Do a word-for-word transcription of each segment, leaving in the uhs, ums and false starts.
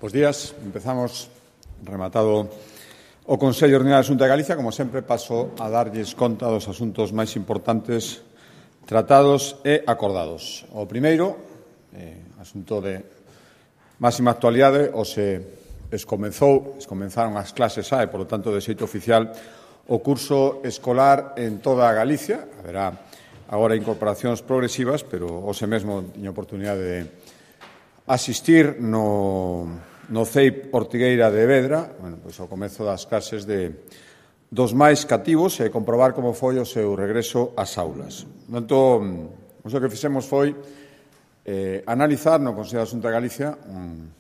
Bos días. Empezamos rematado o Consello Ordinario da Xunta de Galicia. Como sempre, paso a darlles conta dos asuntos máis importantes tratados e acordados. O primeiro, eh, asunto de máxima actualidade, o se escomenzou, escomenzaron as clases xa e, por lo tanto, de xeito oficial, o curso escolar en toda a Galicia. Haberá agora incorporacións progresivas, pero hoxe mesmo tiña oportunidade de asistir no, no C E I P Ortigueira de Vedra, bueno, pois ao comezo das clases de, dos máis cativos e comprobar como foi o seu regreso ás aulas. No tanto, o que fixemos foi eh, analizar no Consello da Xunta de Galicia un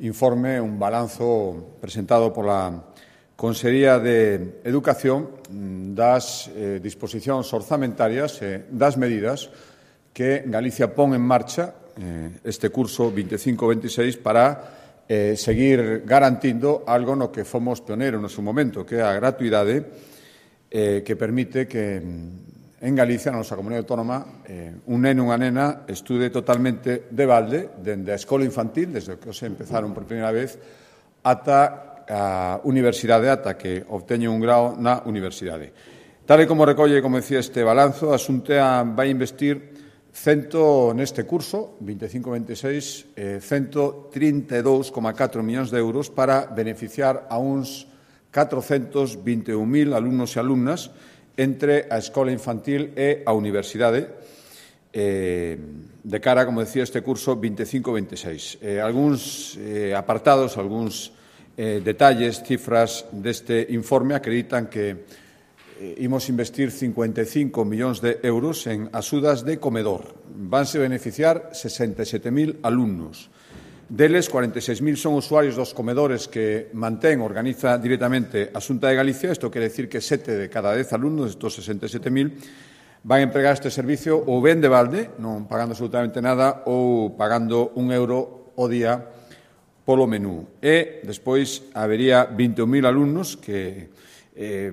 informe, un balanzo presentado pola Consellería de Educación das eh, disposicións orzamentarias e das medidas que Galicia pon en marcha eh, este curso veinticinco veintiséis para eh, seguir garantindo algo no que fomos pioneiros no seu momento, que é a gratuidade eh, que permite que en Galicia, na nosa comunidade autónoma, eh, un neno e unha nena estude totalmente de balde, dende a escola infantil, desde que se empezaron por primeira vez, ata a universidade, ata que obteñen un grao na universidade. Tal e como recolle, como decía, este balanzo, a Xunta vai investir cento neste curso, veinticinco veintiséis, eh, ciento trinta e dous coma catro millóns de euros para beneficiar a uns catrocentos vinte e un mil alumnos e alumnas entre a escola infantil e a universidade eh, de cara, como decía, este curso veinticinco veintiséis. Eh, algúns eh, apartados, algúns eh, detalles, cifras deste informe acreditan que imos investir cincuenta e cinco millóns de euros en axudas de comedor. Vanse beneficiar sesenta e sete mil alumnos. Deles, cuarenta e seis mil son usuarios dos comedores que mantén, organiza directamente a Xunta de Galicia. Isto quere decir que sete de cada dez alumnos, estos sesenta e sete mil, van a empregar este servicio ou ben de balde, non pagando absolutamente nada, ou pagando un euro o día polo menú. E, despois, habería vinte e un mil alumnos que eh,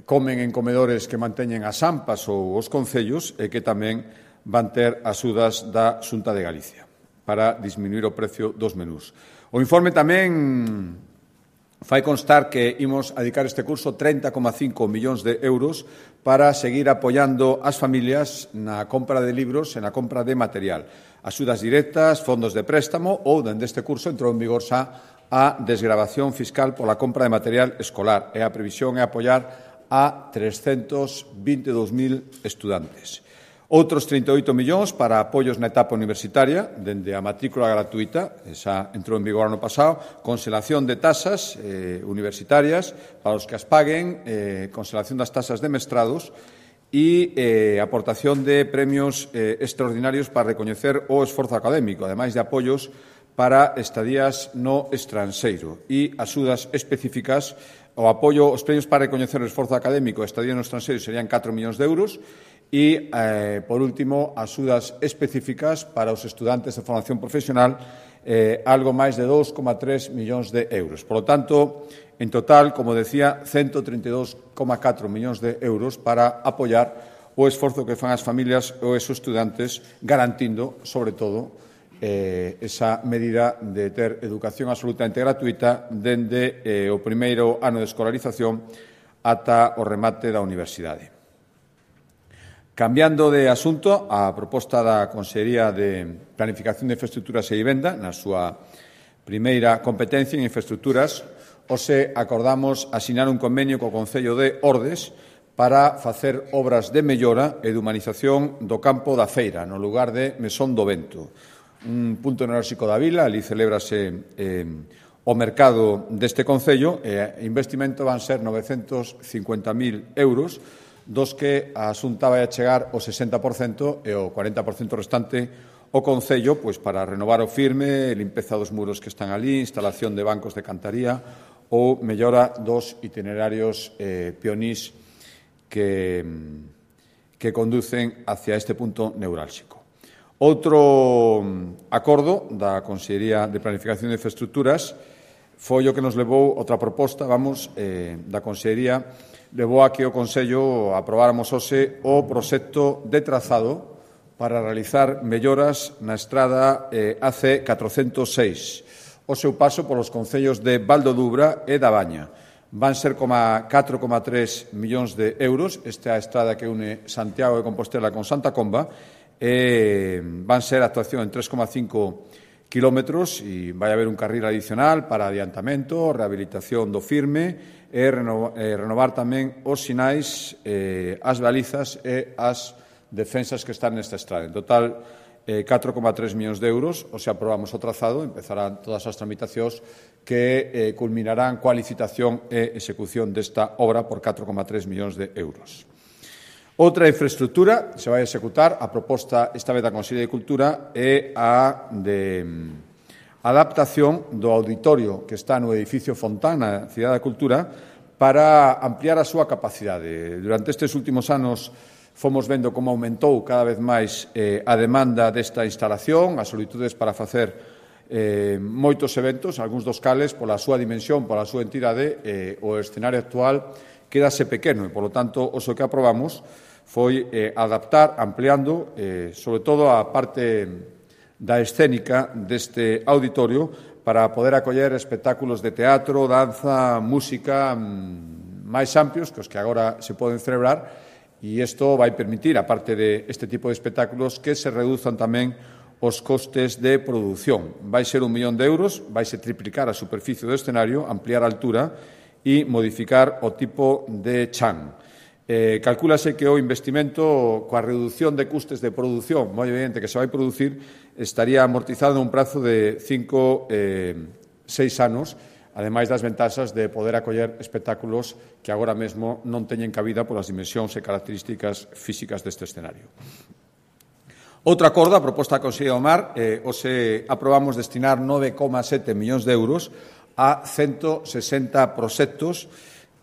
comen en comedores que manteñen as AMPAs ou os concellos e que tamén van ter axudas da Xunta de Galicia para disminuir o precio dos menús. O informe tamén fai constar que imos dedicar este curso treinta coma cinco millóns de euros para seguir apoiando as familias na compra de libros e na compra de material. Axudas directas, fondos de préstamo ou, dende este curso, entrou en vigor xa a desgravación fiscal pola compra de material escolar e a previsión é apoiar a trescentos vinte e dous mil estudantes. Outros trinta e oito millóns para apoios na etapa universitaria, dende a matrícula gratuita, esa entrou en vigor ano pasado, conselación de tasas eh, universitarias para os que as paguen, eh, conselación das tasas de mestrados e eh, aportación de premios eh, extraordinarios para recoñecer o esforzo académico, ademais de apoios para estadías no estranxeiro e axudas específicas. O apoio, os premios para recoñecer o esforzo académico e estadía no estranxeiro serían catro millóns de euros e, eh, por último, axudas específicas para os estudantes de formación profesional, eh, algo máis de dous coma tres millóns de euros. Por lo tanto, en total, como decía, ciento treinta e dous coma catro millóns de euros para apoiar o esforzo que fan as familias ou os estudantes, garantindo, sobre todo, Eh, esa medida de ter educación absolutamente gratuita dende eh, o primeiro ano de escolarización ata o remate da universidade. Cambiando de asunto, a proposta da Consellería de Planificación de Infraestructuras e Vivenda, na súa primeira competencia en infraestructuras, hoxe acordamos asinar un convenio co Concello de Ordes para facer obras de mellora e de humanización do campo da Feira, no lugar de Mesón do Vento. Un punto neurálxico da vila, ali celébrase eh, o mercado deste concello, e eh, investimento van ser novecentos cincuenta mil euros, dos que a Xunta vai a chegar o sesenta por cento e o cuarenta por cento restante o concello, pois para renovar o firme, limpeza dos muros que están ali, instalación de bancos de cantaría ou mellora dos itinerarios eh, pionís que, que conducen hacia este punto neurálxico. Outro acordo da Consellería de Planificación de Infraestructuras foi o que nos levou, outra proposta, vamos, eh, da Consellería, levou a que o Consello aprobáramos hoxe o proxecto de trazado para realizar melloras na estrada eh, A C catrocentos seis, o seu paso polos concellos de Val do Dubra e da Baña. Van ser catro coma tres millóns de euros, esta é a estrada que une Santiago de Compostela con Santa Comba, e van ser actuación en tres coma cinco kilómetros e vai haber un carril adicional para adiantamento, rehabilitación do firme e renovar tamén os sinais, eh, as balizas e as defensas que están nesta estrada. En total, eh, catro coma tres millóns de euros, ou se aprobamos o trazado, empezarán todas as tramitacións que eh, culminarán coa licitación e execución desta obra por catro coma tres millóns de euros. Outra infraestructura se vai executar, a proposta esta vez da Consellería de Cultura, é a de adaptación do auditorio que está no edificio Fontana, na Cidade da Cultura, para ampliar a súa capacidade. Durante estes últimos anos fomos vendo como aumentou cada vez máis eh, a demanda desta instalación, as solicitudes para facer eh, moitos eventos, algúns dos cales, pola súa dimensión, pola súa entidade, eh, o escenario actual quedase pequeno e, polo tanto, o que aprobamos foi eh, adaptar, ampliando, eh, sobre todo a parte da escénica deste auditorio para poder acoller espectáculos de teatro, danza, música máis amplios que os que agora se poden celebrar, e isto vai permitir, aparte de este tipo de espectáculos, que se reduzan tamén os costes de produción. Vai ser un millón de euros, vai se triplicar a superficie do escenario, ampliar a altura e modificar o tipo de chan. Eh, calcúlase que o investimento, coa reducción de custes de produción, moi evidente que se vai producir, estaría amortizado en un prazo de cinco, eh, seis anos, ademais das ventaxas de poder acoller espectáculos que agora mesmo non teñen cabida polas dimensións e características físicas deste escenario. Outra acordo, a proposta da Consellería do Mar, eh, ose aprobamos destinar nove coma sete millóns de euros a ciento sesenta proxectos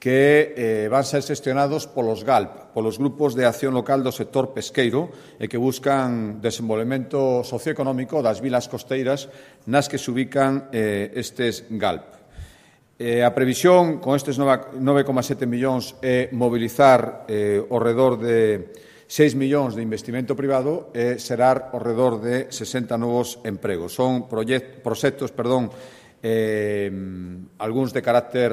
que eh, van ser xestionados polos G A L P, polos grupos de acción local do sector pesqueiro e que buscan desenvolvemento socioeconómico das vilas costeiras nas que se ubican eh, estes G A L P. Eh, a previsión con estes nove coma sete millóns é mobilizar eh, ao redor de seis millóns de investimento privado e xerar ao redor de sesenta novos empregos. Son proxectos, perdón, eh, algúns de carácter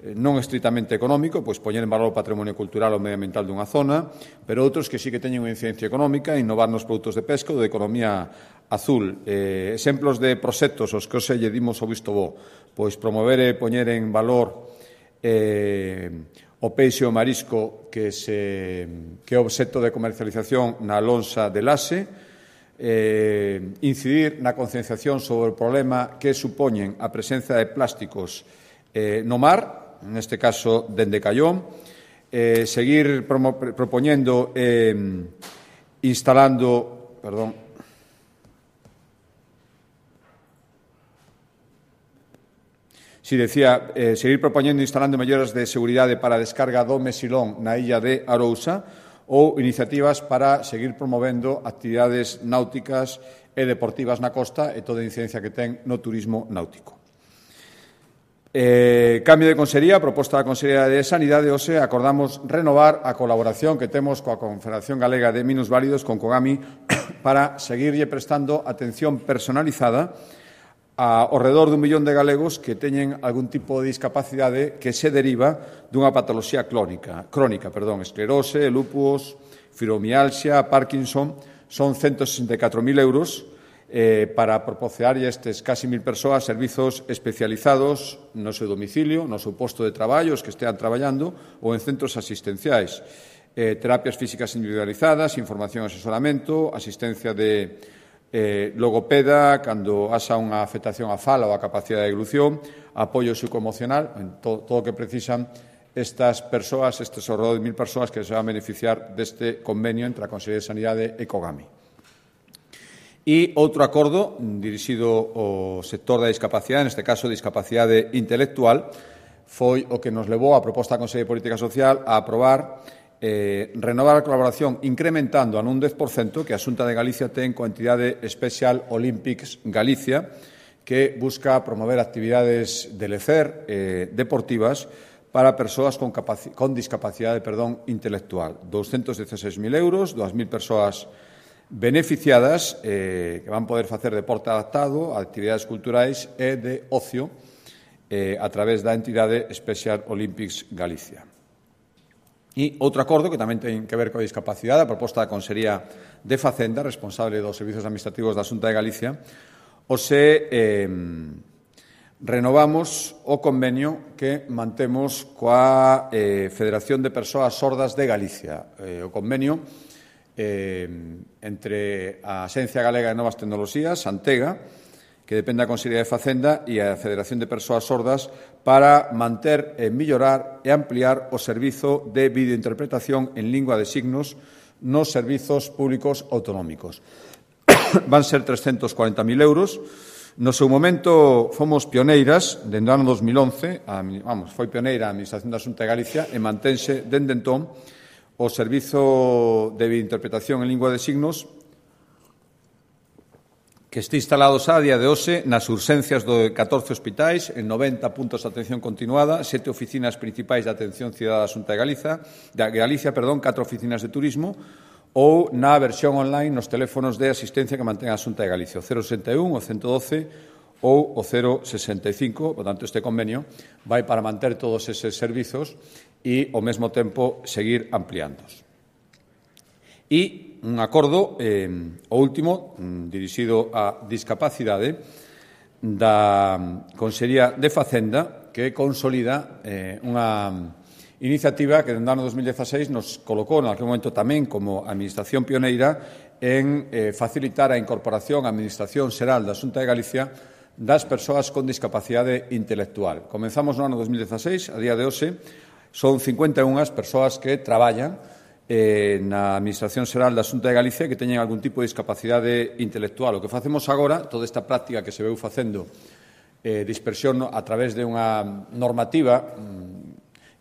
non estritamente económico, pois poñer en valor o patrimonio cultural ou medioambiental dunha zona, pero outros que sí que teñen unha incidencia económica, innovar nos produtos de pesca ou de economía azul. Eh, exemplos de proxectos aos que hoxe lle dimos o visto bo, pois promover e poñer en valor eh, o peixe e o marisco que, se, que é obxecto de comercialización na lonxa de Lase, eh, incidir na concienciación sobre o problema que supoñen a presenza de plásticos eh, no mar, neste caso dende Callón, eh, seguir propoñendo e eh, instalando, perdón, si decía, eh, seguir propoñendo e instalando melloras de seguridade para a descarga do mesilón na illa de Arousa ou iniciativas para seguir promovendo actividades náuticas e deportivas na costa e toda a incidencia que ten no turismo náutico. Eh, cambio de consellería, proposta da Consellería de Sanidade, hoxe acordamos renovar a colaboración que temos coa Confederación Galega de Minusválidos, con COGAMI, para seguirlle prestando atención personalizada ao redor dun millón de galegos que teñen algún tipo de discapacidade que se deriva dunha patoloxía crónica, crónica, perdón, esclerose, lupus, fibromialgia, Parkinson. Son ciento sesenta e catro mil euros eh, para proporcionar a estes casi mil persoas servizos especializados no seu domicilio, no seu posto de traballo, os que estean traballando, ou en centros asistenciais. Eh, terapias físicas individualizadas, información e asesoramento, asistencia de eh, logopeda, cando haxa unha afectación á fala ou á capacidade de eglución, apoio psicoemocional, en to, todo o que precisan estas persoas, estes alrededor de mil persoas que se van a beneficiar deste convenio entre a Consellería de Sanidade e COGAMI. E outro acordo dirixido ao sector da discapacidade, neste caso discapacidade intelectual, foi o que nos levou a proposta da Consellería de Política Social a aprobar eh, renovar a colaboración incrementando a nun dez por cento que a Xunta de Galicia ten coa entidade Special Olympics Galicia, que busca promover actividades de lecer eh, deportivas para persoas con, con discapacidade perdón, intelectual. doscientos dieciséis mil euros, dúas mil persoas beneficiadas eh, que van poder facer deporte adaptado, actividades culturais e de ocio eh, a través da entidade Special Olympics Galicia. E outro acordo que tamén ten que ver coa discapacidade, a proposta da Consellería de Facenda, responsable dos servizos administrativos da Xunta de Galicia, o se eh, renovamos o convenio que mantemos coa eh, Federación de Persoas Sordas de Galicia. Eh, o convenio eh, entre a Axencia Galega de Novas Tecnoloxías, Antega, que depende da Consellería de Facenda, e a Federación de Persoas Sordas para manter, e mellorar e ampliar o servizo de videointerpretación en lingua de signos nos servizos públicos autonómicos. Van ser trescentos cuarenta mil euros. No seu momento fomos pioneiras, dende o ano dos mil once, a, vamos, foi pioneira a Administración da Xunta de Galicia e mantense, dende entón, o servizo de videointerpretación en lingua de signos que este instalados a día de hoxe nas urxencias de catorce hospitais, en noventa puntos de atención continuada, sete oficinas principais de atención cidadá da Xunta de Galicia, de Galicia, perdón, catro oficinas de turismo, ou na versión online nos teléfonos de asistencia que mantén a Xunta de Galicia, o cero sesenta e un, o ciento doce ou o cero sesenta e cinco. Por tanto, este convenio vai para manter todos eses servizos e, ao mesmo tempo, seguir ampliándoos. E un acordo, eh, o último, dirixido á discapacidade, da Consellería de Facenda, que consolida eh, unha iniciativa que, dende o ano dos mil dieciséis, nos colocou, naquele momento tamén, como Administración pioneira, en eh, facilitar a incorporación á Administración Xeral da Xunta de Galicia das persoas con discapacidade intelectual. Comenzamos no ano dos mil dieciséis, a día de hoxe, son cincuenta e unha as persoas que traballan eh, na Administración Xeral da Xunta de Galicia que teñen algún tipo de discapacidade intelectual. O que facemos agora, toda esta práctica que se veu facendo eh, dispersión a través de unha normativa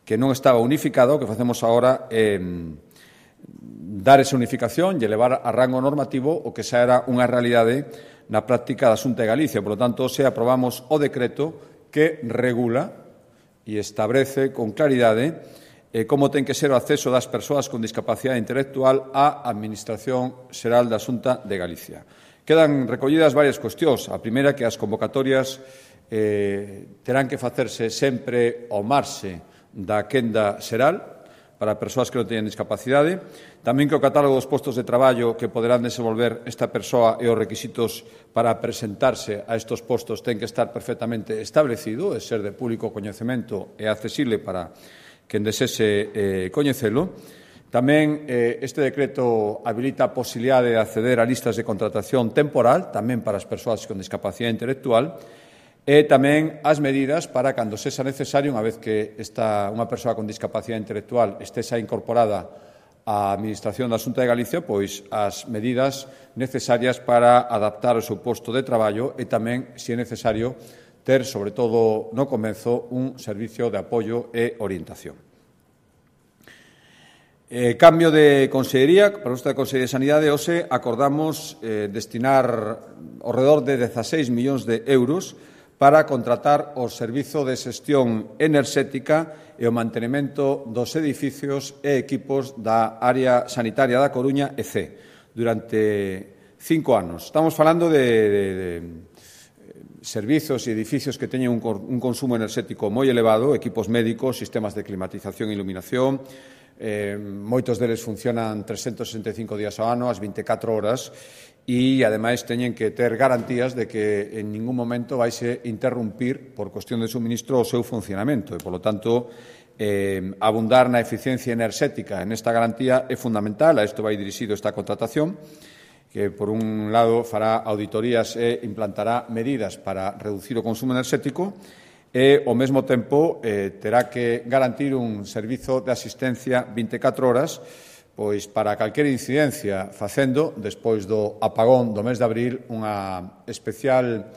que non estaba unificada, o que facemos agora é eh, dar esa unificación e elevar a rango normativo o que xa era unha realidade na práctica da Xunta de Galicia. Por lo tanto, se aprobamos o decreto que regula e establece con claridade eh, como ten que ser o acceso das persoas con discapacidade intelectual á Administración Xeral da Xunta de Galicia. Quedan recollidas varias cuestións. A primeira, que as convocatorias eh, terán que facerse sempre ao marxe da quenda xeral para persoas que non teñen discapacidade. Tamén que o catálogo dos postos de traballo que poderán desenvolver esta persoa e os requisitos para presentarse a estes postos ten que estar perfectamente establecido, e ser de público coñecemento e accesible para quen desese eh, coñecelo. Tamén eh, este decreto habilita a posibilidade de acceder a listas de contratación temporal, tamén para as persoas con discapacidade intelectual, e tamén as medidas para, cando sexa necesario, unha vez que esta, unha persoa con discapacidade intelectual estexa incorporada á Administración da Xunta de Galicia, pois as medidas necesarias para adaptar o seu posto de traballo e tamén, se é necesario, ter, sobre todo no comezo, un servicio de apoio e orientación. Eh, cambio de consellería, para esta Consellería de Sanidade, hoxe acordamos eh, destinar ao redor de dezaseis millóns de euros para contratar o servizo de xestión enerxética e o mantenimento dos edificios e equipos da área sanitaria da Coruña e C durante cinco anos. Estamos falando de, de, de servizos e edificios que teñen un, un consumo enerxético moi elevado, equipos médicos, sistemas de climatización e iluminación. Eh, moitos deles funcionan trescentos sesenta e cinco días ao ano, as veinticatro horas, e, ademais, teñen que ter garantías de que en ningún momento vaise interrumpir por cuestión de suministro o seu funcionamento. E, polo tanto, eh, abundar na eficiencia enerxética en esta garantía é fundamental. A isto vai dirixido esta contratación, que, por un lado, fará auditorías e implantará medidas para reducir o consumo enerxético e, ao mesmo tempo, eh, terá que garantir un servizo de asistencia veinticatro horas, pois para calquera incidencia, facendo, despois do apagón do mes de abril, unha especial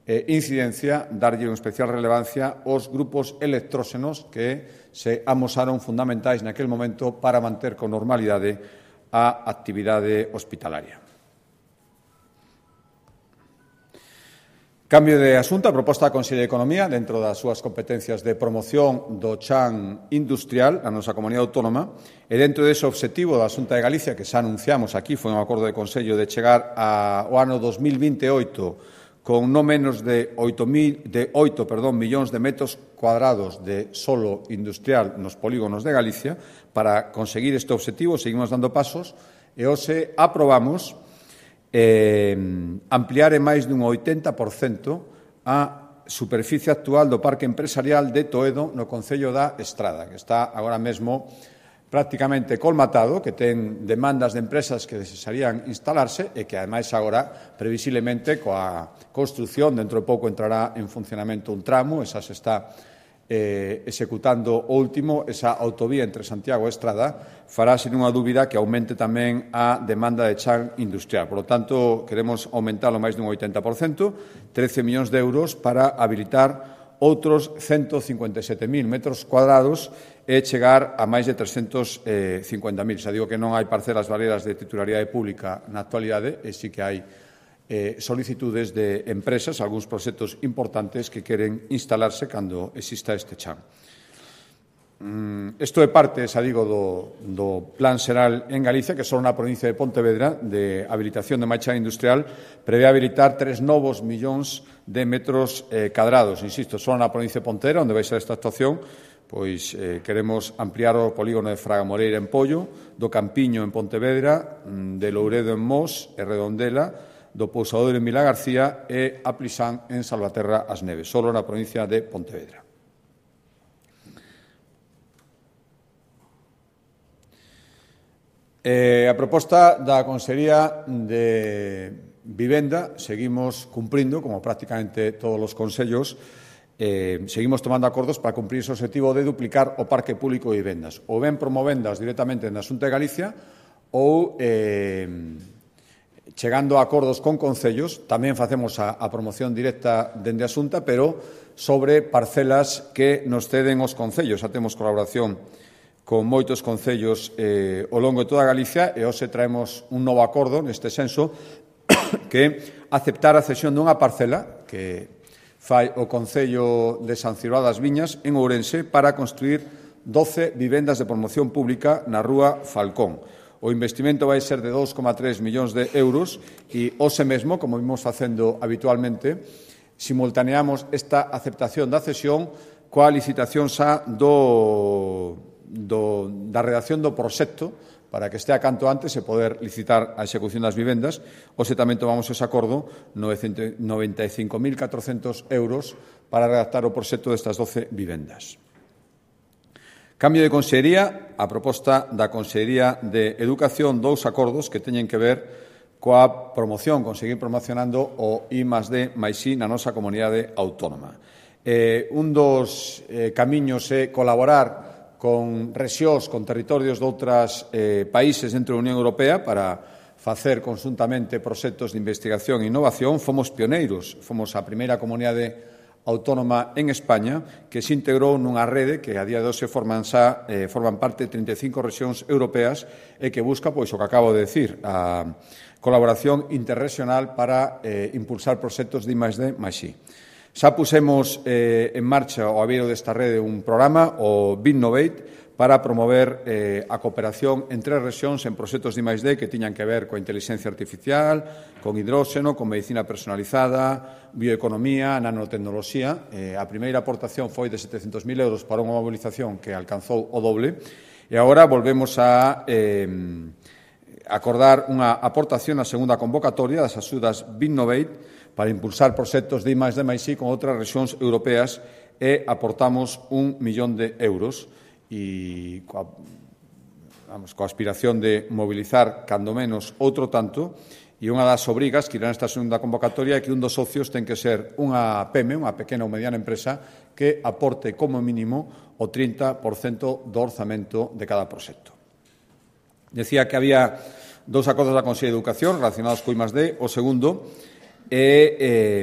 eh, incidencia, darlle unha especial relevancia aos grupos electróxenos que se amosaron fundamentais naquel momento para manter con normalidade a actividade hospitalaria. Cambio de asunto, a proposta da Consellería de Economía, dentro das súas competencias de promoción do chan industrial na nosa comunidade autónoma, e dentro dese objetivo da Xunta de Galicia, que xa anunciamos aquí, foi un acordo de Consello de chegar ao ano dos mil vinte e oito con non menos de oito millóns de metros cuadrados de solo industrial nos polígonos de Galicia. Para conseguir este objetivo seguimos dando pasos e hoxe aprobamos Eh, ampliar en máis dun oitenta por cento a superficie actual do parque empresarial de Toedo no concello da Estrada, que está agora mesmo prácticamente colmatado, que ten demandas de empresas que desearían instalarse e que, ademais, agora, previsiblemente, coa construción, dentro de pouco entrará en funcionamento un tramo, esa se está eh, executando o último, esa autovía entre Santiago e Estrada, fará, sin unha dúbida, que aumente tamén a demanda de chan industrial. Por lo tanto, queremos aumentar máis dun oitenta por cento, trece millóns de euros para habilitar outros ciento cincuenta e sete mil metros cuadrados e chegar a máis de trescentos cincuenta mil. Xa digo que non hai parcelas baleras de titularidade pública na actualidade, e sí que hai Eh, solicitudes de empresas, algúns proxectos importantes que queren instalarse cando exista este chan. Isto mm, é parte, xa digo, do, do Plan Xeral en Galicia, que só na provincia de Pontevedra, de habilitación de máis chan industrial, prevé habilitar tres novos millóns de metros eh, cadrados. Insisto, só na provincia de Pontevedra, onde vai ser esta actuación, pois eh, queremos ampliar o polígono de Fraga Moreira en Pollo, do Campiño en Pontevedra, de Louredo en Mos e Redondela, do Pousadoiro en Vila García e a Plisán en Salvaterra as Neves, solo na provincia de Pontevedra. Eh, a proposta da Consellería de Vivenda seguimos cumprindo, como prácticamente todos os consellos, eh, seguimos tomando acordos para cumprir ese objetivo de duplicar o parque público de vivendas, ou ben promovendas directamente na Xunta de Galicia ou eh, chegando a acordos con concellos. Tamén facemos a, a promoción directa dende a Xunta, pero sobre parcelas que nos ceden os concellos. Xa temos colaboración con moitos concellos eh, ao longo de toda Galicia, e hoxe traemos un novo acordo neste senso, que é aceptar a cesión dunha parcela que fai o Concello de San Circuado das Viñas en Ourense para construir doce vivendas de promoción pública na rúa Falcón. O investimento vai ser de dous coma tres millóns de euros e hoxe mesmo, como vimos facendo habitualmente, simultaneamos esta aceptación da cesión coa licitación xa do, do, da redacción do proxecto para que estea canto antes e poder licitar a execución das vivendas. Hoxe tamén tomamos ese acordo, noventa e cinco mil catrocentos euros para redactar o proxecto destas doce vivendas. Cambio de consellería, a proposta da Consellería de Educación, dous acordos que teñen que ver coa promoción, conseguir promocionando o I más D máis I na nosa comunidade autónoma. Eh, un dos eh, camiños é colaborar con rexións, con territorios de outros eh, países dentro da Unión Europea para facer conjuntamente proxectos de investigación e innovación. Fomos pioneiros, fomos a primeira comunidade autónoma en España que se integrou nunha rede que a día de hoxe forman, xa, eh, forman parte de trinta e cinco rexións europeas e que busca, pois, o que acabo de decir, a colaboración interregional para eh, impulsar proxectos de I más D máis I. Xa pusemos eh, en marcha ao abeiro desta rede un programa, o Binnovate, para promover eh, a cooperación entre rexións en proxectos de I más D que tiñan que ver coa inteligencia artificial, con hidróxeno, con medicina personalizada, bioeconomía, nanotecnoloxía. Eh, a primeira aportación foi de setecentos mil euros para unha mobilización que alcanzou o doble, e agora volvemos a eh, acordar unha aportación na segunda convocatoria das axudas Binnovate para impulsar proxectos de I más D máis I con outras rexións europeas, e aportamos un millón de euros. E coa, vamos, coa aspiración de mobilizar cando menos outro tanto, e unha das obrigas que irá nesta segunda convocatoria é que un dos socios ten que ser unha P M E, unha pequena ou mediana empresa, que aporte como mínimo o trinta por cento do orzamento de cada proxecto. Decía que había dous acordos da Consellería de Educación relacionados co I más D. O segundo é eh,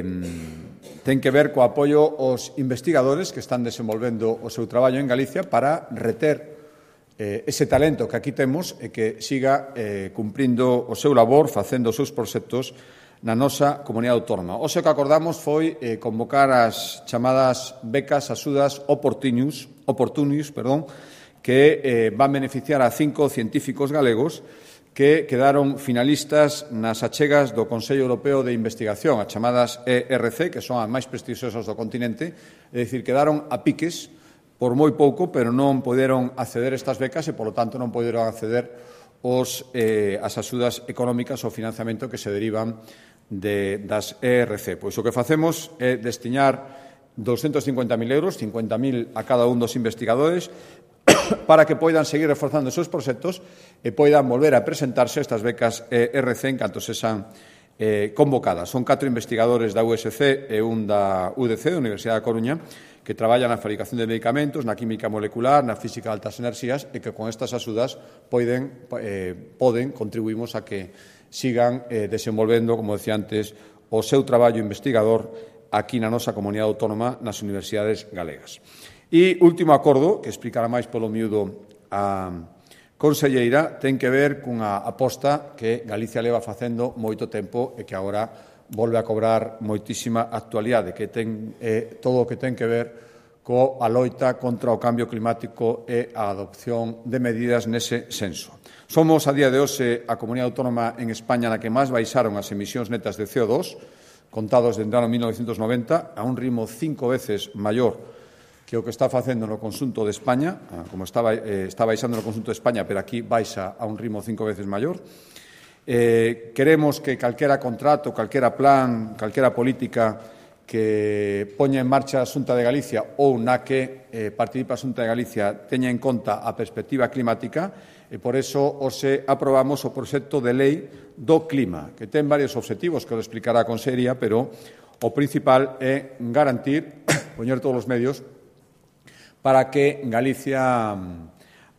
ten que ver co apoio aos investigadores que están desenvolvendo o seu traballo en Galicia para reter eh, ese talento que aquí temos e que siga eh, cumprindo o seu labor, facendo os seus proxectos na nosa comunidade autónoma. Hoxe o que acordamos foi eh, convocar as chamadas becas, axudas oportunius, oportunius perdón, que eh, van beneficiar a cinco científicos galegos que quedaron finalistas nas achegas do Consello Europeo de Investigación, as chamadas E R C, que son as máis prestixiosas do continente, é dicir, quedaron a piques por moi pouco, pero non poderon acceder a estas becas e, polo tanto, non poderon acceder os, eh, as axudas económicas ou financiamento que se derivan de, das E R C. Pois o que facemos é destinar doscientos cincuenta mil euros, cincuenta mil a cada un dos investigadores, para que poidan seguir reforzando os seus proxectos e poidan volver a presentarse estas becas E R C en canto se xan eh, convocadas. Son catro investigadores da U S C e un da U D C, da Universidade da Coruña, que traballan na fabricación de medicamentos, na química molecular, na física de altas enerxías e que con estas axudas poden, eh, poden contribuímos a que sigan eh, desenvolvendo, como decía antes, o seu traballo investigador aquí na nosa comunidade autónoma nas universidades galegas. E último acordo, que explicará máis polo miúdo a conselleira, ten que ver cunha aposta que Galicia leva facendo moito tempo e que agora volve a cobrar moitísima actualidade, que ten eh, todo o que ten que ver coa loita contra o cambio climático e a adopción de medidas nese senso. Somos, a día de hoxe, a comunidade autónoma en España na que máis baixaron as emisións netas de C O dos, contados dende o ano mil novecentos noventa, a un ritmo cinco veces maior que o que está facendo no conxunto de España, como está, eh, está baixando no conxunto de España, pero aquí baixa a un ritmo cinco veces maior. Eh, queremos que calquera contrato, calquera plan, calquera política que poña en marcha a Xunta de Galicia ou na que eh, participa a Xunta de Galicia teña en conta a perspectiva climática e por eso hoxe aprobamos o proxecto de lei do clima, que ten varios obxectivos que o explicará a Consellería, pero o principal é garantir, poñer todos os medios para que Galicia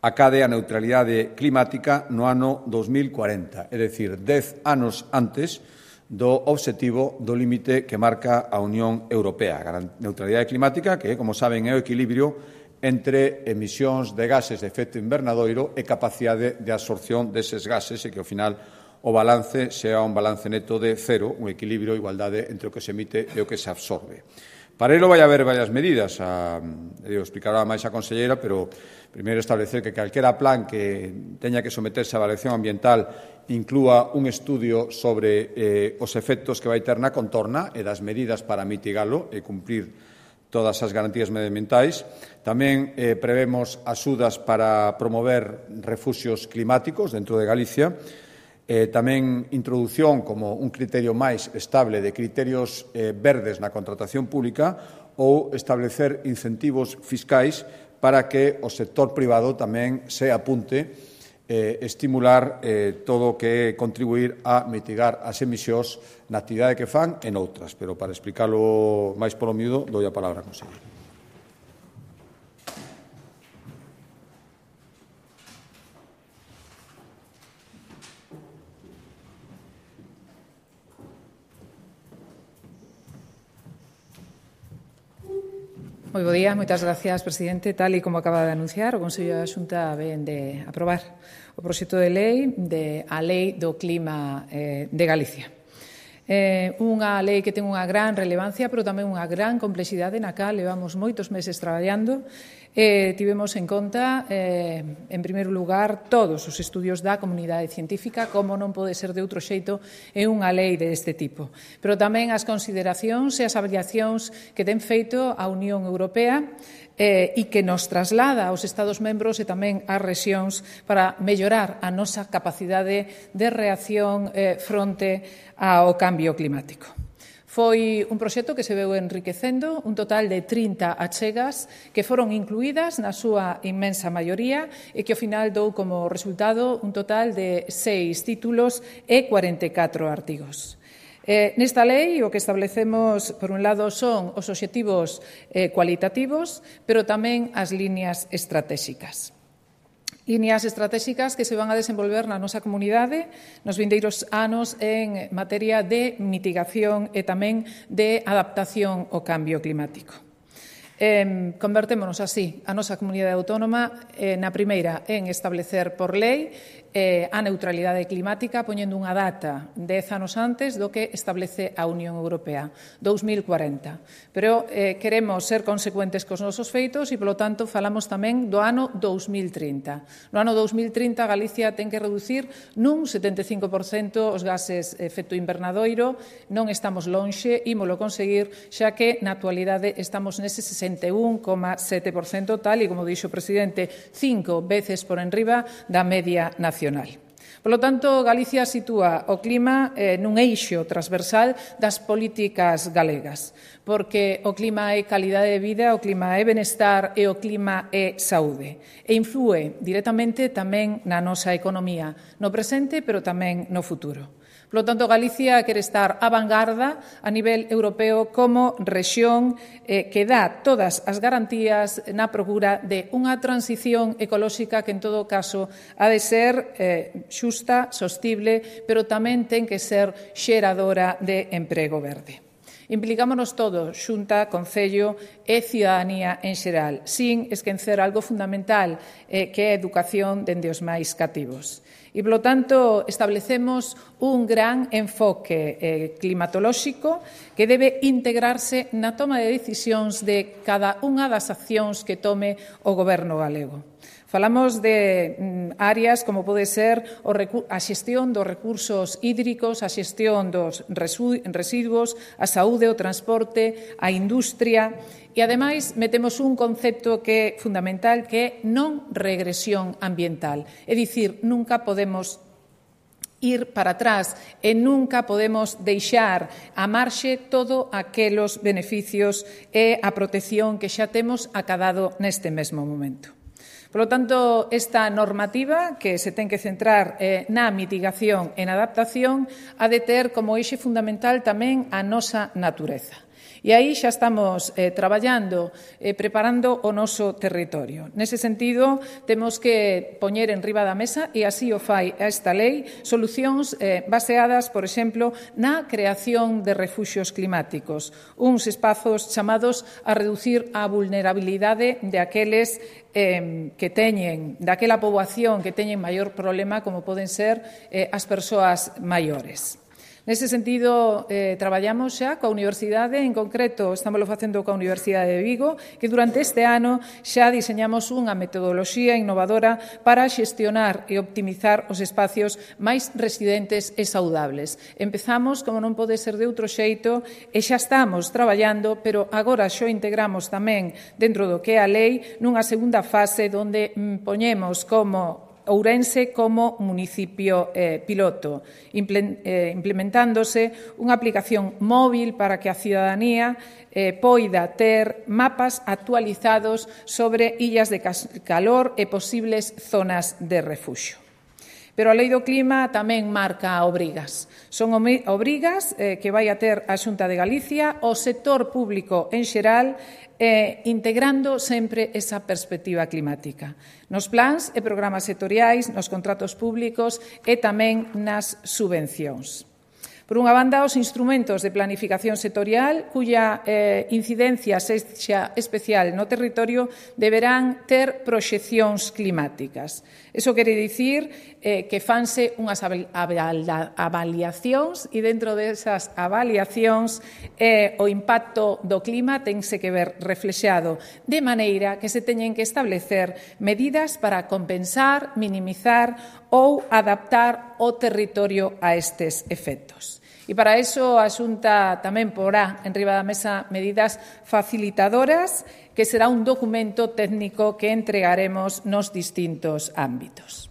acade a neutralidade climática no ano dos mil cuarenta, é dicir, dez anos antes do obxectivo do límite que marca a Unión Europea. A neutralidade climática, que, como saben, é o equilibrio entre emisións de gases de efecto invernadoiro e capacidade de absorción deses gases e que, ao final, o balance sea un balance neto de cero, un equilibrio, igualdade entre o que se emite e o que se absorbe. Para ello vai haber varias medidas, a, eu explicará máis a conselleira, pero primeiro establecer que calquera plan que teña que someterse a avaliación ambiental inclúa un estudio sobre eh, os efectos que vai ter na contorna e das medidas para mitigalo e cumprir todas as garantías medioambientais. Tamén eh, prevemos axudas para promover refuxios climáticos dentro de Galicia. Eh, tamén introdución como un criterio máis estable de criterios eh, verdes na contratación pública ou establecer incentivos fiscais para que o sector privado tamén se apunte eh, estimular eh, todo o que é contribuir a mitigar as emisións na actividade que fan e noutras. Pero para explicarlo máis polo miúdo, dou a palabra a conselleira. Moi bo día, moitas gracias, presidente. Tal e como acaba de anunciar, o Consello da Xunta ven de aprobar o proxecto de lei de a Lei do Clima eh, de Galicia. Eh, unha lei que ten unha gran relevancia, pero tamén unha gran complexidade na cal levamos moitos meses traballando. Eh, tivemos en conta, eh, en primeiro lugar, todos os estudios da comunidade científica, como non pode ser de outro xeito é unha lei deste tipo. Pero tamén as consideracións e as avaliacións que ten feito a Unión Europea eh, e que nos traslada aos Estados membros e tamén ás rexións para mellorar a nosa capacidade de reacción eh, fronte ao cambio climático. Foi un proxecto que se veu enriquecendo, un total de trinta achegas que foron incluídas na súa inmensa maioría e que ao final dou como resultado un total de seis títulos e cuarenta e catro artigos. Eh, nesta lei o que establecemos, por un lado, son os obxectivos eh, cualitativos, pero tamén as líneas estratéxicas. Líneas estratégicas que se van a desenvolver na nosa comunidade nos vindeiros anos en materia de mitigación e tamén de adaptación ao cambio climático. Eh, convertémonos así a nosa comunidade autónoma eh, na primeira en establecer por lei eh, a neutralidade climática poñendo unha data dez anos antes do que establece a Unión Europea, dous mil cuarenta. Pero eh, queremos ser consecuentes cos nosos feitos e, polo tanto, falamos tamén do ano dous mil trinta. No ano dous mil trinta, Galicia ten que reducir nun setenta e cinco por cento os gases efecto invernadoiro. Non estamos lonxe, ímolo conseguir, xa que na actualidade estamos nese sesenta e un coma sete por cento, tal e como dixo o presidente, cinco veces por enriba da media nacional. Por lo tanto, Galicia sitúa o clima eh, nun eixo transversal das políticas galegas, porque o clima é calidade de vida, o clima é benestar e o clima é saúde. E inflúe directamente tamén na nosa economía, no presente, pero tamén no futuro. Por lo tanto, Galicia quere estar á vanguarda a nivel europeo como rexión eh, que dá todas as garantías na procura de unha transición ecolóxica que, en todo caso, ha de ser eh, xusta, sostible, pero tamén ten que ser xeradora de emprego verde. Implicámonos todos, Xunta, Concello e cidadanía en xeral, sin esquecer algo fundamental eh, que é a educación dende os máis cativos. E, polo tanto, establecemos un gran enfoque eh, climatolóxico que debe integrarse na toma de decisións de cada unha das accións que tome o Goberno galego. Falamos de mm, áreas como pode ser o a xestión dos recursos hídricos, a xestión dos residuos, a saúde, o transporte, a industria e, ademais, metemos un concepto que é fundamental, que é non regresión ambiental. É dicir, nunca podemos ir para atrás e nunca podemos deixar a marxe todo aqueles beneficios e a protección que xa temos acadado neste mesmo momento. Por lo tanto, esta normativa, que se ten que centrar eh, na mitigación e na adaptación, ha de ter como eixe fundamental tamén a nosa natureza. E aí xa estamos eh, traballando, eh, preparando o noso territorio. Nese sentido, temos que poñer en riba da mesa, e así o fai esta lei, solucións eh, baseadas, por exemplo, na creación de refuxios climáticos, uns espazos chamados a reducir a vulnerabilidade de aqueles eh, que teñen, daquela poboación que teñen maior problema, como poden ser eh, as persoas maiores. Nese sentido, eh, traballamos xa coa Universidade, en concreto, estamos facendo coa Universidade de Vigo, que durante este ano xa diseñamos unha metodoloxía innovadora para xestionar e optimizar os espacios máis residentes e saudables. Empezamos, como non pode ser de outro xeito, e xa estamos traballando, pero agora xo integramos tamén dentro do que é a lei nunha segunda fase onde mm, poñemos como Ourense como municipio eh, piloto, implementándose unha aplicación móvil para que a cidadanía eh, poida ter mapas actualizados sobre illas de calor e posibles zonas de refuxio. Pero a Lei do Clima tamén marca obrigas. Son obrigas eh, que vai a ter a Xunta de Galicia, o sector público en xeral, eh, integrando sempre esa perspectiva climática. Nos plans e programas sectoriais, nos contratos públicos e tamén nas subvencións. Por unha banda, os instrumentos de planificación sectorial, cuya eh, incidencia sexa especial no territorio, deberán ter proxeccións climáticas. Iso quere dicir eh, que fanse unhas avaliacións e dentro desas avaliacións eh, o impacto do clima tense que ver reflexado de maneira que se teñen que establecer medidas para compensar, minimizar ou adaptar o territorio a estes efectos. E para iso a Xunta tamén porá en riba da mesa medidas facilitadoras, que será un documento técnico que entregaremos nos distintos ámbitos.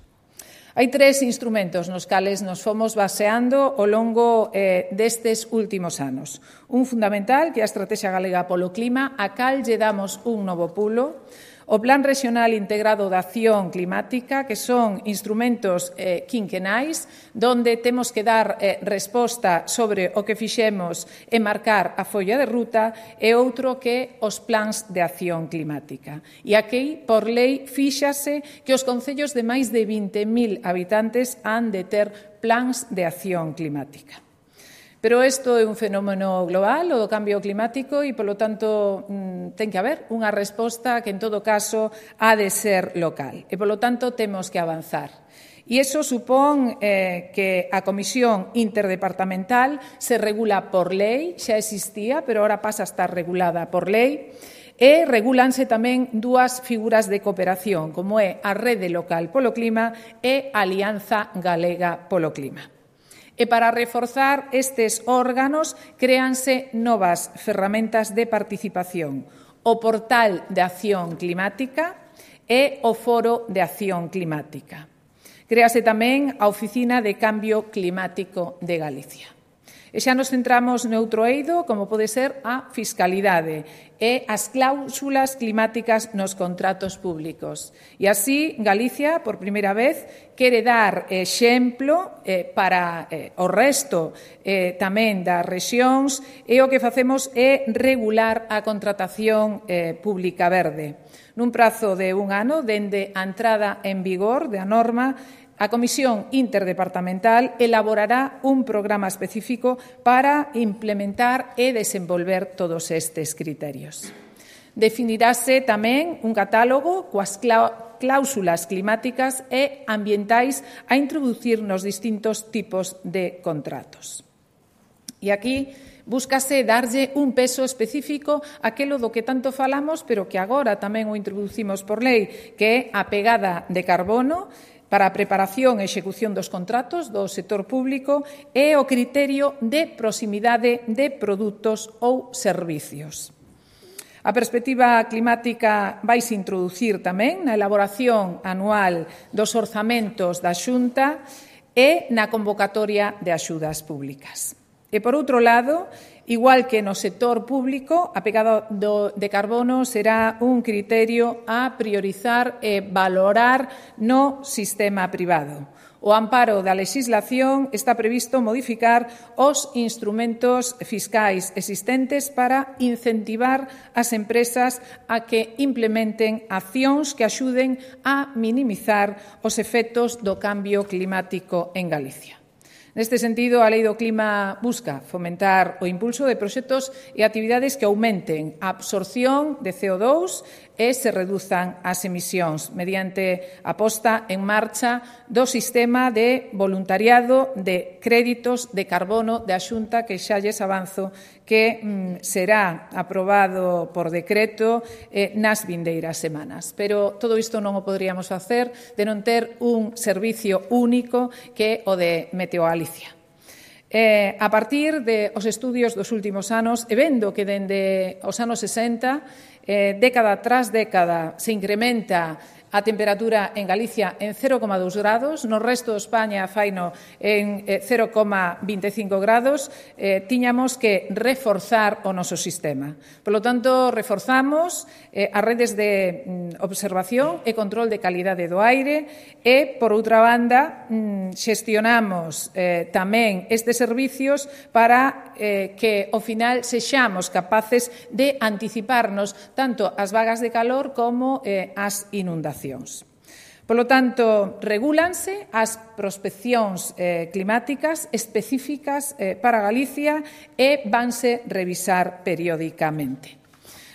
Hai tres instrumentos nos cales nos fomos baseando ao longo eh, destes últimos anos. Un fundamental, que é a Estrategia Galega polo Clima, a cal lle damos un novo pulo. O Plan Regional Integrado de Acción Climática, que son instrumentos eh, quinquenais, donde temos que dar eh, resposta sobre o que fixemos e marcar a folla de ruta, e outro que os plans de acción climática. E aquí, por lei, fíxase que os concellos de máis de vinte mil habitantes han de ter plans de acción climática. Pero isto é un fenómeno global, o do cambio climático, e, polo tanto, ten que haber unha resposta que, en todo caso, ha de ser local. E, polo tanto, temos que avanzar. E iso supón eh, que a Comisión Interdepartamental se regula por lei, xa existía, pero ahora pasa a estar regulada por lei, e regúlanse tamén dúas figuras de cooperación, como é a Rede Local polo Clima e a Alianza Galega polo Clima. E para reforzar estes órganos, créanse novas ferramentas de participación, o Portal de Acción Climática e o Foro de Acción Climática. Créase tamén a Oficina de Cambio Climático de Galicia. E xa nos centramos noutro eido, como pode ser a fiscalidade e as cláusulas climáticas nos contratos públicos. E así, Galicia, por primeira vez, quere dar exemplo eh, para eh, o resto eh, tamén das rexións, e o que facemos é regular a contratación eh, pública verde. Nun prazo de un ano, dende a entrada en vigor da norma, a Comisión Interdepartamental elaborará un programa específico para implementar e desenvolver todos estes criterios. Definirase tamén un catálogo coas cláusulas climáticas e ambientais a introducir nos distintos tipos de contratos. E aquí búscase darlle un peso específico àquelo do que tanto falamos, pero que agora tamén o introducimos por lei, que é a pegada de carbono, para a preparación e execución dos contratos do sector público e o criterio de proximidade de produtos ou servicios. A perspectiva climática vaise introducir tamén na elaboración anual dos orzamentos da Xunta e na convocatoria de axudas públicas. E, por outro lado, igual que no sector público, a pegada do, de carbono será un criterio a priorizar e valorar no sistema privado. O amparo da lexislación está previsto modificar os instrumentos fiscais existentes para incentivar as empresas a que implementen accións que axuden a minimizar os efectos do cambio climático en Galicia. Neste sentido, a Lei do Clima busca fomentar o impulso de proxectos e actividades que aumenten a absorción de C O dous e se reduzan as emisións mediante a posta en marcha do sistema de voluntariado de créditos de carbono da Xunta, que xa lles avanzo que mm, será aprobado por decreto eh, nas vindeiras semanas. Pero todo isto non o poderíamos facer de non ter un servicio único que é o de Meteogalicia. Eh, a partir de os estudios dos últimos anos, e vendo que dende os anos sesenta, eh, década tras década, se incrementa a temperatura en Galicia en cero coma dous grados, no resto de España faino en cero coma vinte e cinco grados, eh, tiñamos que reforzar o noso sistema. Por lo tanto, reforzamos eh, as redes de mm, observación e control de calidade do aire e, por outra banda, mm, xestionamos eh, tamén estes servicios para eh, que, ao final, sexamos capaces de anticiparnos tanto as vagas de calor como eh, as inundacións. Polo tanto, regúlanse as prospeccións eh, climáticas específicas eh, para Galicia e vanse revisar periódicamente.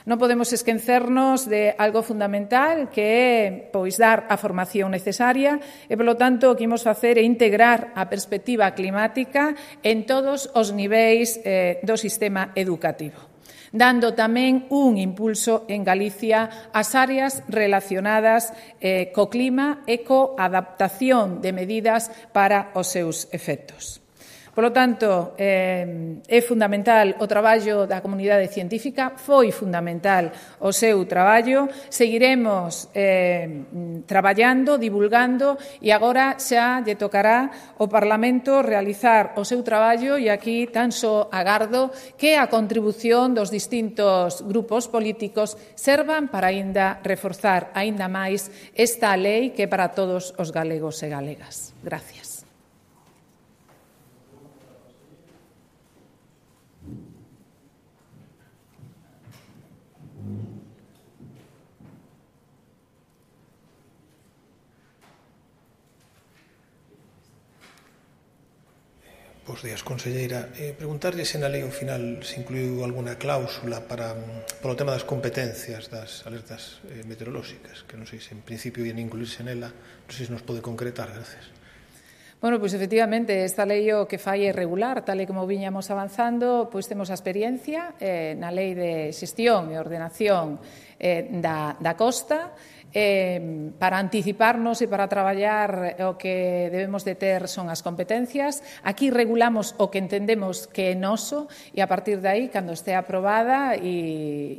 Non podemos esquecernos de algo fundamental, que é pois dar a formación necesaria e, polo tanto, o que imos facer é integrar a perspectiva climática en todos os niveis eh, do sistema educativo, dando tamén un impulso en Galicia ás áreas relacionadas eh, co clima e co adaptación de medidas para os seus efectos. Por lo tanto, eh, é fundamental o traballo da comunidade científica, foi fundamental o seu traballo, seguiremos eh, traballando, divulgando e agora xa lle tocará ao Parlamento realizar o seu traballo e aquí tan só agardo que a contribución dos distintos grupos políticos servan para aínda reforzar aínda máis esta lei que é para todos os galegos e galegas. Gracias. Bos días, conselleira. Eh, preguntarlle se na lei ao final se incluiu alguna cláusula para polo tema das competencias das alertas eh, meteorolóxicas, que non sei se en principio ian incluirse nela, non sei se nos pode concretar, gracias. Bueno, pois efectivamente, esta lei o que fai é regular, tal e como viñamos avanzando, pois temos a experiencia eh, na lei de xestión e ordenación eh, da, da costa. Eh, para anticiparnos e para traballar o que debemos de ter son as competencias. Aquí regulamos o que entendemos que é noso e a partir de aí, cando este aprobada e,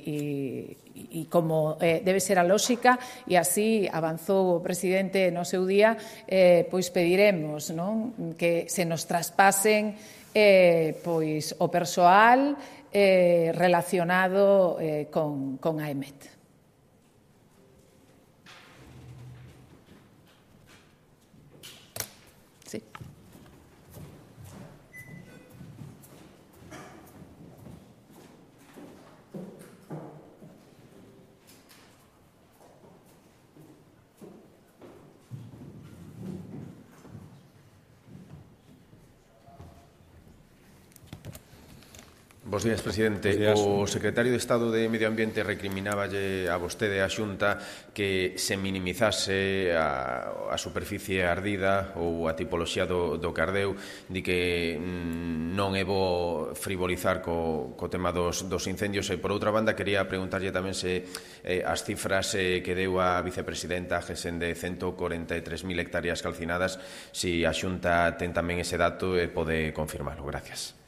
e, e como eh, debe ser a lóxica, e así avanzou o presidente no seu día, eh, pois pediremos, non, que se nos traspasen eh, pois o persoal eh, relacionado eh, con, con a EMET. Sí. Bos días, presidente. Bos días. O secretario de Estado de Medio Ambiente recrimináballe a vostede a Xunta que se minimizase a, a superficie ardida ou a tipoloxía do, do que ardeu, di que mm, non é bo frivolizar co, co tema dos, dos incendios. E, por outra banda, quería preguntarlle tamén se eh, as cifras eh, que deu a vicepresidenta Gesen de ciento corenta e tres mil hectáreas calcinadas, si a Xunta ten tamén ese dato e pode confirmarlo. Gracias.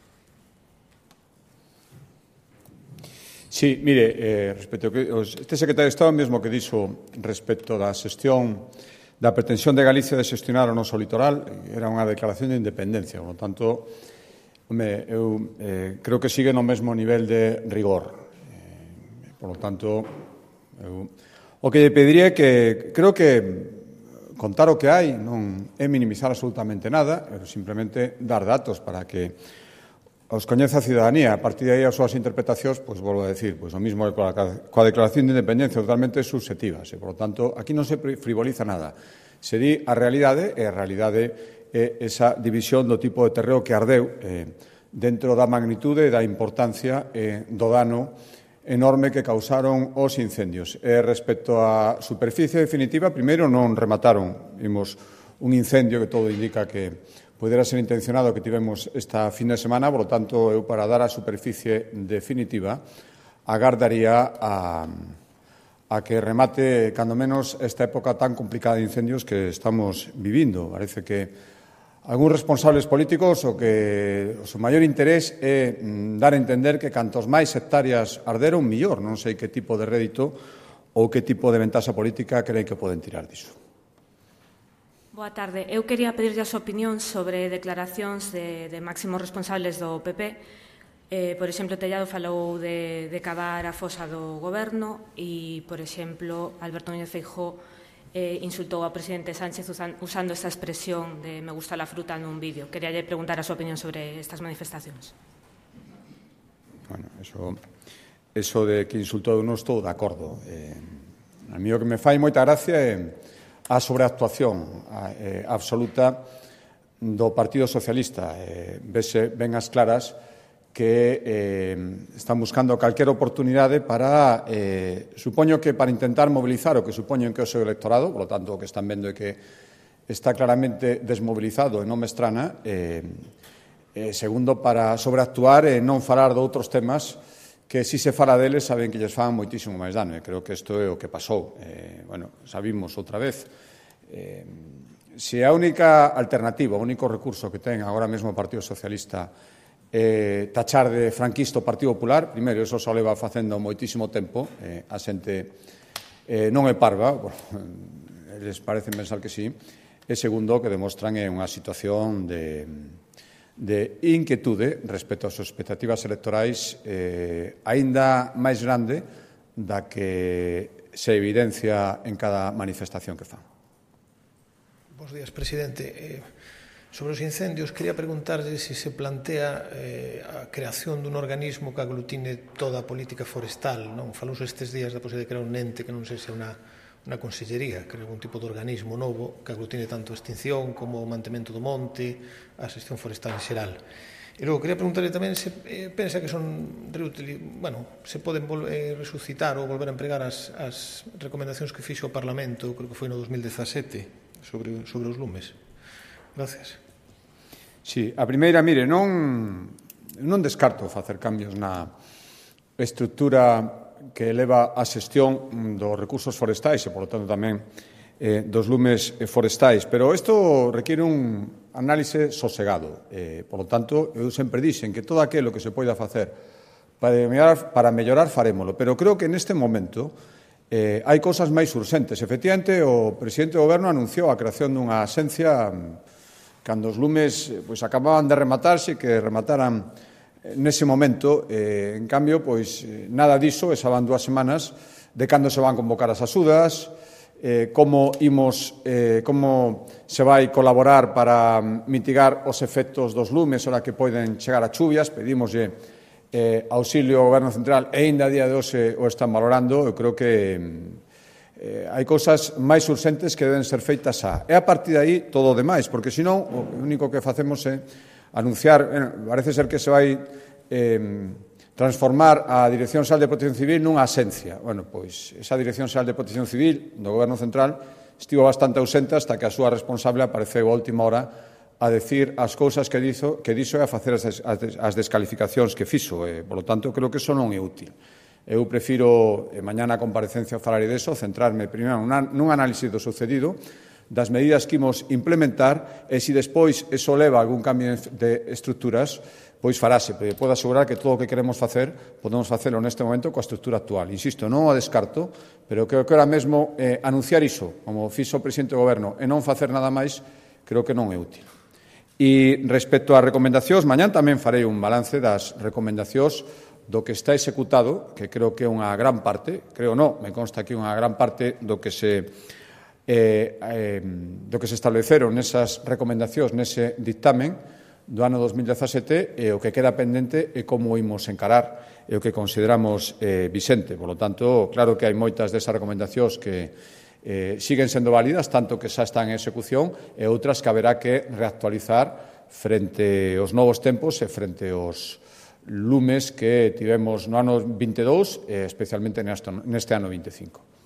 Sí, mire, eh, respecto que este secretario de Estado mesmo que dixo respecto da xestión da pretensión de Galicia de xestionar o noso litoral era unha declaración de independencia, por lo tanto, home, eu eh, creo que sigue no mesmo nivel de rigor. Eh, por lo tanto, eu, o que lle pediría é que creo que contar o que hai non é minimizar absolutamente nada, é simplemente dar datos para que os coñece a ciudadanía. A partir de aí as súas interpretacións, pois volvo a decir, pois o mismo que coa, coa declaración de independencia, totalmente subjetivas. E, por lo tanto, aquí non se frivoliza nada. Se di a realidade, e a realidade é esa división do tipo de terreo que ardeu eh, dentro da magnitude e da importancia eh, do dano enorme que causaron os incendios. E respecto á superficie definitiva, primeiro non remataron. Vimos un incendio que todo indica que pudera ser intencionado que tivemos esta fin de semana, por lo tanto, eu para dar a superficie definitiva agardaría a, a que remate, cando menos, esta época tan complicada de incendios que estamos vivindo. Parece que algúns responsables políticos o que o seu maior interés é dar a entender que cantos máis hectáreas arderon, millor. Non sei que tipo de rédito ou que tipo de ventaxa política creen que poden tirar diso. Boa tarde. Eu quería pedirlle a súa opinión sobre declaracións de, de máximos responsables do P P. Eh, por exemplo, Tellado falou de, de cavar a fosa do goberno e, por exemplo, Alberto Núñez Feijóo eh, insultou ao presidente Sánchez usan, usando esta expresión de me gusta la fruta nun vídeo. Quería lle preguntar a súa opinión sobre estas manifestacións. Bueno, eso, eso de que insultou non estou de acordo. Eh, a mí o que me fai moita gracia é a sobreactuación a, eh, absoluta do Partido Socialista. Eh, vese ben as claras que eh, están buscando calquera oportunidade para, eh, supoño que para intentar mobilizar o que supoño que é o seu electorado, por lo tanto, o que están vendo é que está claramente desmobilizado e non me estrana, eh, eh, segundo, para sobreactuar e non falar de outros temas que si se fala deles saben que lles fan moitísimo máis dano, e creo que isto é o que pasou. Eh, bueno, sabimos outra vez. Eh, se a única alternativa, o único recurso que ten agora mesmo o Partido Socialista é eh, tachar de franquista o Partido Popular, primeiro, eso só leva facendo moitísimo tempo, eh, a xente eh, non é parva, bueno, eles parecen pensar que sí, e segundo, que demostran é unha situación de de inquietude respecto ás expectativas electorais eh, aínda máis grande da que se evidencia en cada manifestación que fan. Bos días, presidente. Eh, sobre os incendios, quería preguntarle se se plantea eh, a creación dun organismo que aglutine toda a política forestal, non? Falouse estes días da posibilidade de crear un ente que non sei se é unha, na Consellería, crear un tipo de organismo novo que aglutine tanto a extinción como o mantemento do monte, a xestión forestal en xeral. E logo, quería preguntarle tamén se eh, pensa que son reutili... bueno, se poden volver, eh, resucitar ou volver a empregar as, as recomendacións que fixo o Parlamento, creo que foi no dos mil dezasete, sobre, sobre os lumes. Gracias. Sí, a primeira, mire, non, non descarto facer cambios na estrutura que eleva a xestión dos recursos forestais e, por lo tanto, tamén eh, dos lumes forestais, pero isto requiere un análise sosegado. Eh, por lo tanto, eu sempre dixen que todo aquilo que se poida facer para mellorar, para mellorar farémolo, pero creo que neste momento eh, hai cousas máis urxentes. Efectivamente, o presidente do Goberno anunciou a creación dunha axencia cando os lumes pois, acababan de rematarse, que remataran nese momento. Eh, en cambio, pois nada diso, e xa van dúas semanas de cando se van convocar as axudas, eh, como imos, eh, como se vai colaborar para mitigar os efectos dos lumes ora que poden chegar a chuvias. Pedimoslle eh, auxilio ao Goberno Central e ainda a día de hoxe o están valorando. Eu creo que eh, hai cousas máis urxentes que deben ser feitas xa. E a partir de aí todo o demais, porque senón o único que facemos é anunciar, bueno, parece ser que se vai eh, transformar a Dirección Xeral de Protección Civil nunha axencia. Bueno, pois esa Dirección Xeral de Protección Civil do Goberno Central estivo bastante ausente hasta que a súa responsable apareceu a última hora a decir as cousas que dixo, que dixo e a facer as, as, as descalificacións que fixo. E, por lo tanto, creo que eso non é útil. Eu prefiro, eh, mañá na comparecencia falarei deso, centrarme primeiro nun análise do sucedido, das medidas que imos implementar, e se despois eso leva a algún cambio de estruturas, pois farase, pero podo asegurar que todo o que queremos facer podemos facelo neste momento coa estrutura actual. Insisto, non o descarto, pero creo que ahora mesmo eh, anunciar iso, como fixo o presidente do Goberno, e non facer nada máis, creo que non é útil. E respecto ás recomendacións, mañán tamén farei un balance das recomendacións do que está executado, que creo que é unha gran parte, creo non, me consta que é unha gran parte do que se eh, eh, do que se estableceron nesas recomendacións, nese dictamen do ano dos mil dezasete, e o que queda pendente é como imos encarar e o que consideramos eh, vixente. Por lo tanto, claro que hai moitas desas recomendacións que eh, siguen sendo válidas, tanto que xa están en execución, e outras que haberá que reactualizar frente aos novos tempos e frente aos lumes que tivemos no ano vinte e dous e especialmente neste ano vinte e cinco.